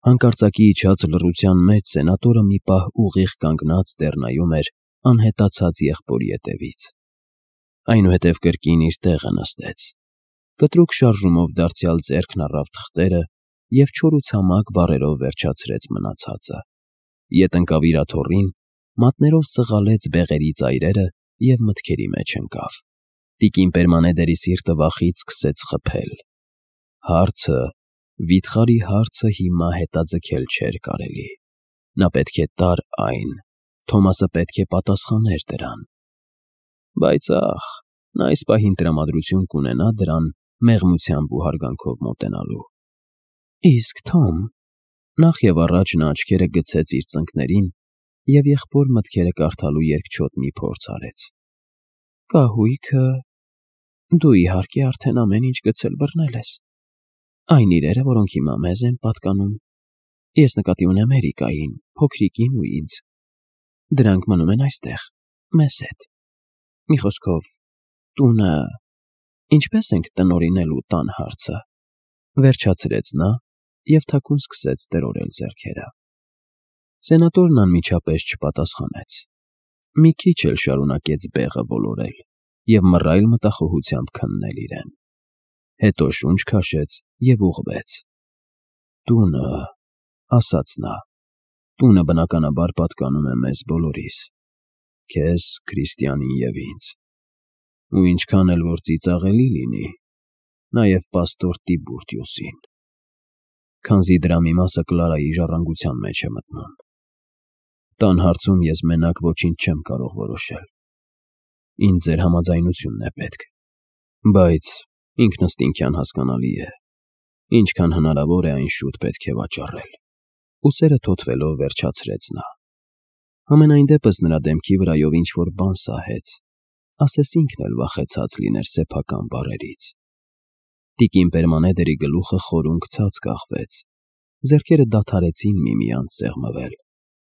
Հանկարծակի իջած լռության մեջ սենատորը մի պահ ուղիղ կանգնած դեռ նայում էր անհետացած եղբորի ետևից, այնուհետև կրկին իր տեղը նստեց, կտրուկ շարժումով դարձյալ ձեռքն առավ թղթերը և չոր ու ցամաք բառերով վերջացրեց մնացածը, ետ ընկավ իր աթոռին, մատներով սղալեց բեղերի ծայրերը և մտքերի մեջ ընկավ։ Տիկին Պերմանեդերի սիրտը վախից սկսեց խփել։ Վիթխարի հարցը հիմա հետաձգել չէր կարելի։ Նա պետք է տար այն, Թոմասը պետք է պատասխաներ դրան։ Բայց նա այս պահին տրամադրություն կունենա դրան մեղմությամբ ու հարգանքով մոտենալու։ Իսկ Թոմ… Նախ և առաջ նա աչքերը գցեց իր ծնկներին և եղբոր մտքերը կարդալու երկչոտ մի փորձ արեց։ Կահույքը… Դու, իհարկե, արդեն ամեն ինչ գցել բռնել ես։ Այն իրերը, որոնք հիմա մեզ են պատկանում, ես նկատի ունեմ Էրիկային, փոքրիկին ու ինձ։ Դրանք մնում են այստեղ, մեզ հետ։ Մի խոսքով, տունը… Ինչպե՞ս ենք տնօրինելու տան հարցը, վերջացրեց նա և թաքուն սկսեց տրորել ձեռքերը։ Սենատորն անմիջապես չպատասխանեց։ Մի քիչ էլ շարունակեց բեղը ոլորել և մռայլ մտախոհությամբ քննել իրեն։ Հետո շունչ քաշեց և ուղղվեց։ Տունը… ասաց նա, տունը բնականաբար պատկանում է մեզ բոլորիս, քեզ, Քրիստիանին և ինձ, ու ինչքան էլ որ ծիծաղելի լինի, նաև պաստոր Տիբուրտիուսին, քանզի դրա մի մասը Կլարայի ժառանգության մեջ է մտնում։ Տան հարցում ես մենակ ոչինչ չեմ կարող որոշել։ Ինձ ձեր համաձայնությունն է պետք, բայց ինքնըստինքյան հասկանալի է, ինչքան հնարավոր է այն շուտ պետք է վաճառել։ Ուսերը թոթվելով վերջացրեց նա։ Համենայն դեպս նրա դեմքի վրայով ինչ-որ բան սահեց, ասես ինքն էլ վախեցած լիներ սեփական բառերից։ Տիկին Պերմանեդերի գլուխը խորունգ ցած կախվեց, ձեռքերը դադարեցին միմյանց սեղմվել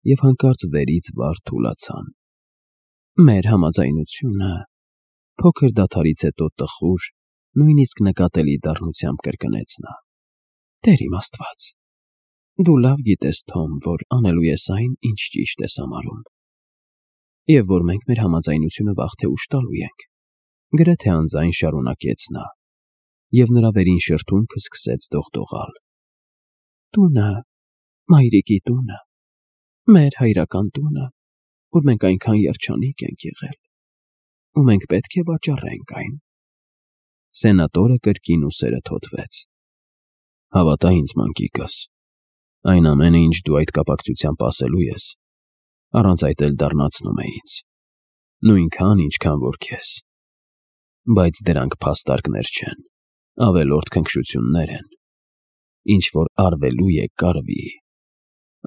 և հանկարծ վերից վար թուլացան։ Մեր համաձայնությունը… Փոքր դադարից հետո տխուր, նույնիսկ նկատելի դառնությամբ կրկնեց նա։ Տեր իմ Աստված… Դու լավ գիտես, Թոմ, որ անելու ես այն, ինչ ճիշտ ես համարում, և որ մենք մեր համաձայնությունը վաղ թե ուշ տալու ենք, գրեթե անձայն շարունակեց նա, և նրա վերին շրթունքը սկսեց դողդողալ։ Տունը, մայրիկի տունը, մեր հայրական տունը, որ մենք այնքան երջանիկ ենք եղել, ու մենք պետք է վաճառենք այն։ Սենատորը կրկին ուսերը թոթվեց։ Հավատա ինձ, մանկիկս, այն ամենը, ինչ դու այդ կապակցությամբ ասելու ես, առանց այդ էլ դառնացնում է ինձ, նույնքան, ինչքան որ քեզ։ Բայց դրանք փաստարկներ չեն, ավելորդ քնքշություններ են, ինչ որ արվելու է կարվի։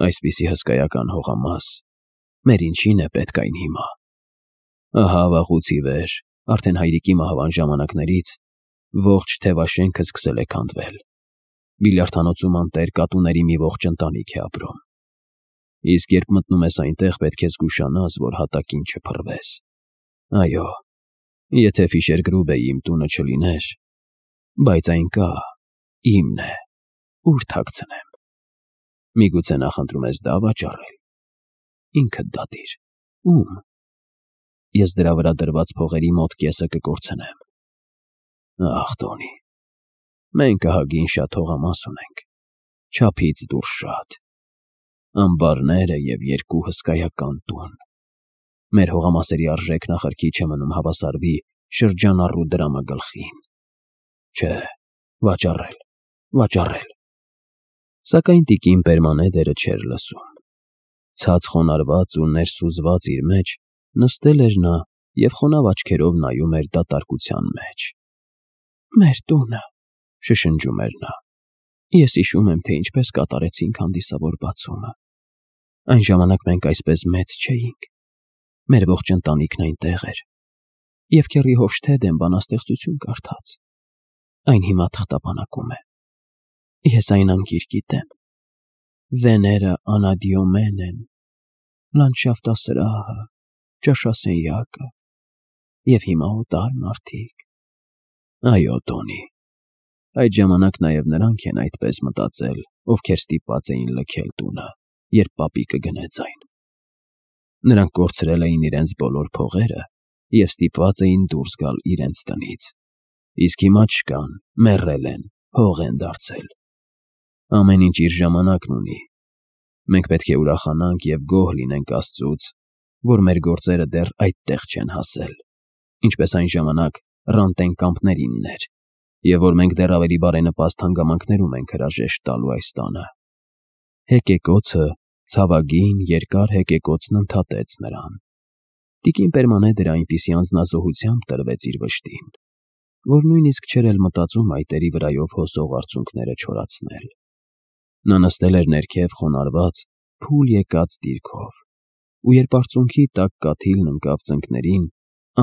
Այսպիսի հսկայական հողամաս, մեր ինչին է պետք այն հիմա։ Ահա վաղուց ի վեր, արդեն հայրիկի մահվան ժամանակներից, ողջ թևաշենքը սկսել է քանդվել։ Բիլիարդանոցում անտեր կատուների մի ողջ ընտանիք է ապրում։ Իսկ երբ մտնում ես այնտեղ, պետք է զգուշանաս, որ հատակին չփռվես։ Այո, եթե Ֆիշերգրուբեի իմ տունը չլիներ, բայց այն կա, իմն է, ուր թաքցնեմ։ Միգուցե նախընտրում ես դա վաճառել։ Ինքդ դատիր, ում։ Ես դրա վրա դրված փողերի մոտ կեսը կկորցնեմ։ Ախ, Տոնի, մենք ահագին շատ հողամաս ունենք, չափից դուրս շատ, ամբարները և 2 հսկայական տուն։ Մեր հողամասերի արժեքն ախր քիչ է մնում հավասարվի շրջանառու դրամագլխին։ Չէ, վաճառել, վաճառել։ Սակայն տիկին Պերմանեդերը չէր լսում։ Ցած խոնարհված ու ներսուզված իր մեջ նստել էր նա և խոնավ աչքերով նայում էր դատարկության մեջ։ Մեր տունը… շշնջում էր նա։ Ես հիշում եմ, թե ինչպես կատարեցինք հանդիսավոր բացումը։ Այն ժամանակ մենք այսպես մեծ չէինք։ Մեր ողջ ընտանիքն այնտեղ էր, և քեռի Հոֆշթեդեն բանաստեղծություն կարդաց։ Այն հիմա թղթապանակում է։ Ես այն անգիր գիտեմ. Վեները Անադիոմենեն, լանդշաֆտասրահը, ճաշասենյակը, և հիմա օտար մարդիկ։ Այո, Տոնի, Այդ ժամանակ նաև նրանք են այդպես մտածել, ովքեր ստիպված էին լքել տունը, երբ պապիկը գնեց այն։ Նրանք կորցրել էին իրենց բոլոր փողերը և ստիպված էին դուրս գալ իրենց տնից։ Իսկ հիմա չկան, մեռել են, հող են դարձել։ Ամեն ինչ իր ժամանակն ունի։ Մենք պետք է ուրախանանք և գոհ լինենք Աստծուց, որ մեր գործերը դեռ այդտեղ չեն հասել, ինչպես այն ժամանակ Ռանտեն կամպներինն էր, և որ մենք դեռ ավելի բարենպաստ հանգամանքներում ենք հրաժեշտ տալու այս տանը։ Հեկեկոցը, ցավագին, երկար հեկեկոցն ընդհատեց նրան։ Տիկին Պերմանեդերը այնպիսի անձնազոհությամբ տրվեց իր վշտին, որ նույնիսկ չէր էլ մտածում այտերի վրայով հոսող արցունքները չորացնել։ Նա նստել էր ներքև խոնարհված, փուլ եկած դիրքով, ու երբ արցունքի տաք կաթիլն ընկավ ծնկներին,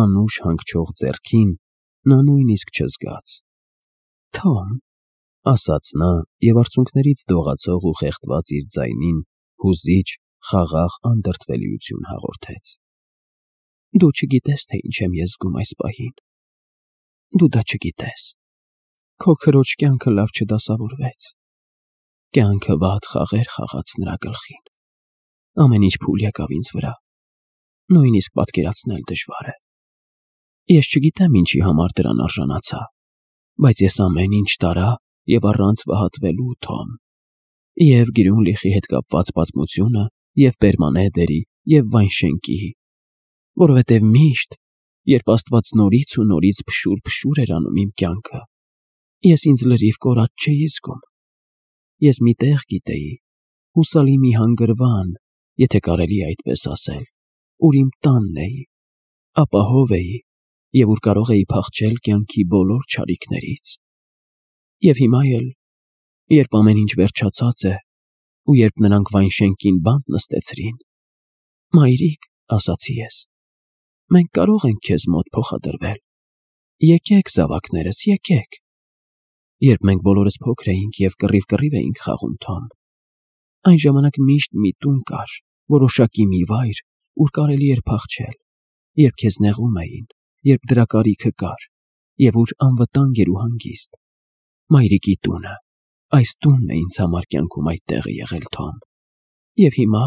անուշ հանգչող ձեռքին, նա նույնիսկ չզգաց։ «Թոմ», ասաց նա և արցունքներից դողացող ու խեղդված իր ձայնին հուզիչ, խաղաղ անդրդվելիություն հաղորդեց։ «Դու չգիտես, թե ինչ եմ ես զգում այս պահին։ Դու դա չգիտես։ Քո քրոջ կյանքը լավ չդասավորվեց։ Կյանքը վատ խաղեր խաղաց նրա գլխին։ Ամեն ինչ փուլ եկավ ինձ վրա։ Նույնիսկ պատկերացնել դժվար է։ Ես չգիտեմ ինչի համար դրան արժանացա, բայց ես ամեն ինչ տարա և առանց վհատվելու, Թոմ, և Գրյունլիխի հետ կապված պատմությունը, և Պերմանեդերի, և Վայնշենկի, որովհետև միշտ, երբ Աստված նորից ու նորից փշուր էր անում իմ կյանքը, ես ինձ լրիվ կորած չէի զգում։ Ես մի տեղ գիտեի, հուսալի մի հանգրվան, եթե կարելի է այդպես ասել, ուր իմ տանն էի, ապահով էի, և ուր կարող էի փախչել կյանքի բոլոր չարիքներից։ Եվ հիմա էլ, երբ ամեն ինչ վերջացած է, ու երբ նրանք Վայնշենկին բանտ նստեցրին, «Մայրիկ», ասացի ես, «մենք կարող ենք քեզ մոտ փոխադրվել։ Եկեք, զավակներս, եկեք»։ Երբ մենք բոլորս փոքր էինք և կռիվ էինք խաղում, Թոմ, այն ժամանակ միշտ մի տուն կար, որոշակի մի վայր, ուր կարելի էր փախչել, երբ քեզ նեղում էին, երբ դրա կարիքը կար, և ուր անվտանգ էր ու հանգիստ։ Մայրիկի տունը, այս տունն է ինձ համար կյանքում այդ տեղը եղել, Թոմ, և հիմա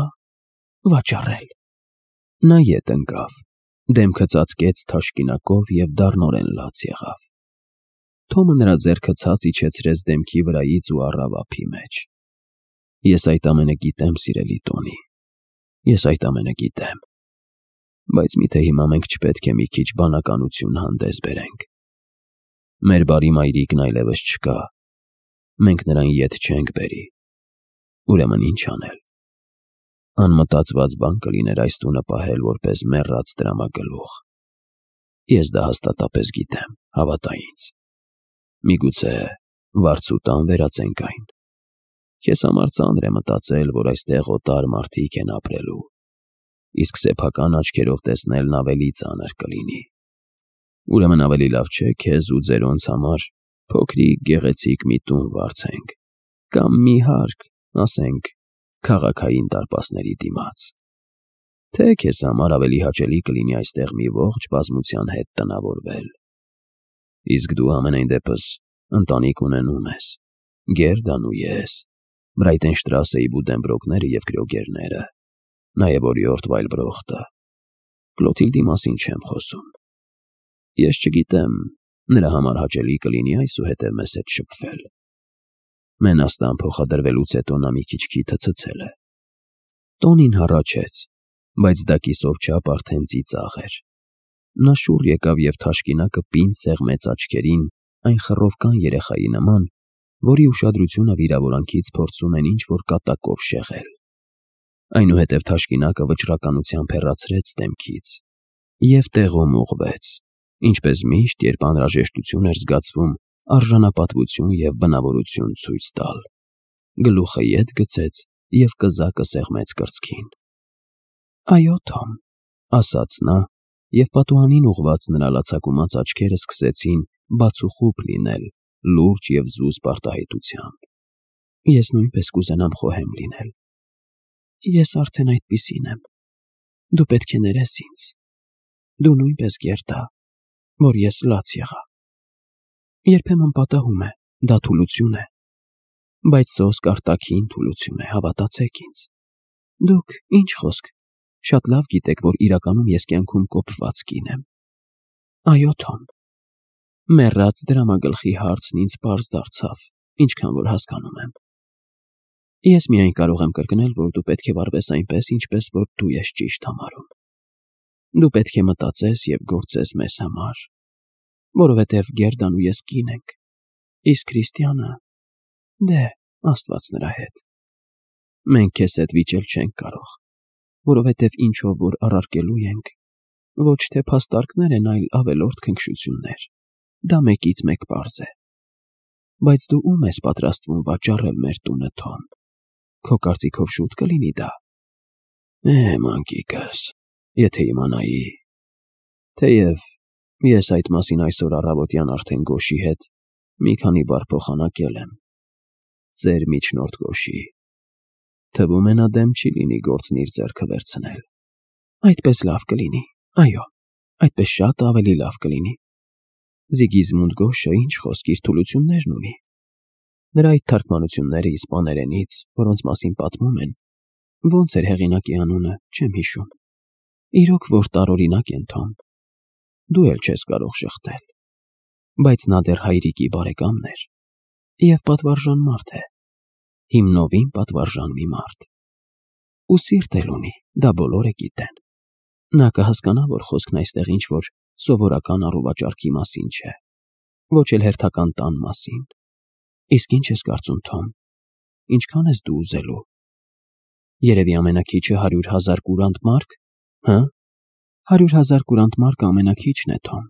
վաճառել։ Նա ետ ընկավ, դեմքը ծածկեց թաշկինակով և դառնորեն լաց եղավ։ Թոմը նրա ձեռքը ցած իջեցրեց դեմքի վրայից ու առավ ափի մեջ։ Ես այդ ամենը գիտեմ, սիրելի Տոնի, ես այդ ամենը գիտեմ, բայց միթե հիմա մենք չպետք է մի քիչ բանականություն հանդես բերենք։ Մեր բարի մայրիկն այլևս չկա, մենք նրան ետ չենք բերի, ուրեմն ինչ անել։ Անմտածված բան կլիներ այս տունը պահել որպես մեռած տրամագլուխ։ Ես դա հաստատապես գիտեմ, հավատա ինձ։ Միգուցե վարձու տան վերածենք այն։ Քեզ համար ծանր է մտածել, որ այստեղ օտար մարդիկ են ապրելու, իսկ սեփական աչքերով տեսնելն ավելի ծանր կլինի։ Ուրեմն ավելի լավ չէ քեզ ու ձերոնց համար փոքրիկ գեղեցիկ մի տուն վարձենք, կամ մի հարկ, ասենք, քաղաքային դարպասների դիմաց։ Թե քեզ համար ավելի հաճելի կլինի այստեղ մի ողջ բազմության հետ տնավորվել։ Իսկ դու ամենայն դեպս ընտանիք ունենում ես, Գերդան ու ես, Բրայտենշտրասեի Բուդենբրոկները և Կրյոգերները, նաև օրիորդ Վայլբրոխտը։ Կլոթիլդի մասին չեմ խոսում։ Ես չգիտեմ, նրա համար հաճելի կլինի այսուհետև մեզ հետ շփվել։ Մենաստան փոխադրվելուց հետո նա մի քիչ քիթը ցցել է։ Տոնին հառաչեց, բայց դա կիսով չափ արդեն ծիծաղ էր։ Նա շուռ եկավ և թաշկինակը պինդ սեղմեց աչքերին այն խռովկան երեխայի նման, որի ուշադրությունը վիրավորանքից փորձում են ինչ-որ կատակով շեղել։ Այնուհետև թաշկինակը վճռականությամբ հեռացրեց դեմքից և տեղում ուղղվեց, ինչպես միշտ, երբ անհրաժեշտություն էր զգացվում արժանապատվություն և բնավորություն ցույց տալ։ Գլուխը ետ գցեց և կզակը սեղմեց կրծքին։ «Այո, Թոմ», ասաց նա, և պատուհանին ուղղված նրա լացակումած աչքերը սկսեցին բացուխուպ լինել լուրջ և զուսպ արտահայտությամբ։ «Ես նույնպես կուզենամ խոհեմ լինել։ Ես արդեն այդպիսին եմ։ Դու պետք է ներես ինձ։ Դու նույնպես գերդա, որ ես լաց եղա։ Երբեմն պատահում է, Դա թուլություն է, բայց սոսկ արտաքին թուլություն է, հավատացեք ինձ։ Դուք ինչ խոսք, շատ լավ գիտեք, որ իրականում ես կյանքում կոփված կին եմ։ Այո, Թոմ։ Մեռած դրամագլխի հարցն ինձ պարզ դարձավ, ինչքան որ հասկանում եմ։ Ես միայն կարող եմ կրկնել, որ դու պետք է վարվես այնպես, ինչպես որ դու ես ճիշտ համարում։ Դու պետք է մտածես և գործես մեզ համար, որովհետև Գերդան ու ես կին ենք, իսկ Քրիստիանը, դե, Աստված նրա հետ։ Մենք քեզ հետ վիճել չենք կարող, որովհետև ինչով որ առարկելու ենք, ոչ թե փաստարկներ են, այլ ավելորդ քնքշություններ։ Դա մեկից մեկ պարզ է։ Բայց դու ում ես պատրաստվում վաճառել մեր տունը, Թոմ։ Քո կարծիքով շուտ կլինի դա։ Մանկիկս, եթե իմանայի։ Թեև ես այդ մասին այսօր առավոտյան արդեն Գոշի հետ մի քանի բառ փոխանակել եմ։ Ձեր միջնորդ Գոշի։ Թվում է նա դեմ չի լինի գործն իր ձեռքը վերցնել։ Այդպես լավ կլինի, այո, այդպես շատ ավելի լավ կլինի։ Զիգիզմունդ Գոշը ինչ խոսք իր թուլություններն ունի։ Նրա այդ թարգմանությունները իսպաներենից, որոնց մասին պատմում են, ոնց էր հեղինակի անունը, չեմ հիշում։ Իրոք որ տարօրինակ են, Թոմ։ Դու էլ չես կարող շղթել։ Բայց նա դեռ հայրիկի բարեկամն էր և պատվարժան մարդ է։ Հիմնովին պատվարժան մի մարդ։ Ու սիրտ էլ ունի, դա բոլորը գիտեն։ Նա կհասկանա, որ խոսքն այստեղ ինչ-որ սովորական առուվաճառքի մասին չէ, ոչ էլ հերթական տան մասին։ Իսկ ինչ ես կարծում, Թոմ, ինչքան ես դու ուզելու։ Երևի ամենաքիչը 100,000 կուրանտ մարկ, հը։ 100,000 կուրանտ մարկը ամենաքիչն է, Թոմ։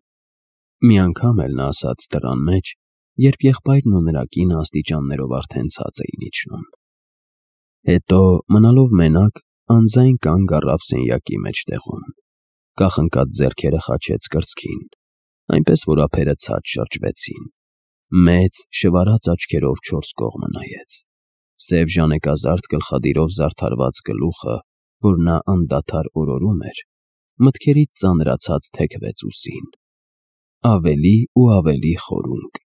Մի անգամ էլ նա ասաց դռան մեջ, երբ եղբայրն ու նրա կինը աստիճաններով արդեն ցած էին իջնում։ Հետո, մնալով մենակ, անձայն կանգ առավ սենյակի մեջտեղում, կախնկած ձեռքերը խաչեց կրծքին, այնպես որ ափերը ցած շրջվեցին, մեծ շվարած աչքերով 4 կողմը նայեց, սև ժանեկազարդ գլխադիրով զարդարված գլուխը, որ նա անդադար օրորում էր, մտքերից ծանրացած թեքվեց ուսին, ավելի ու ավելի խորունկ,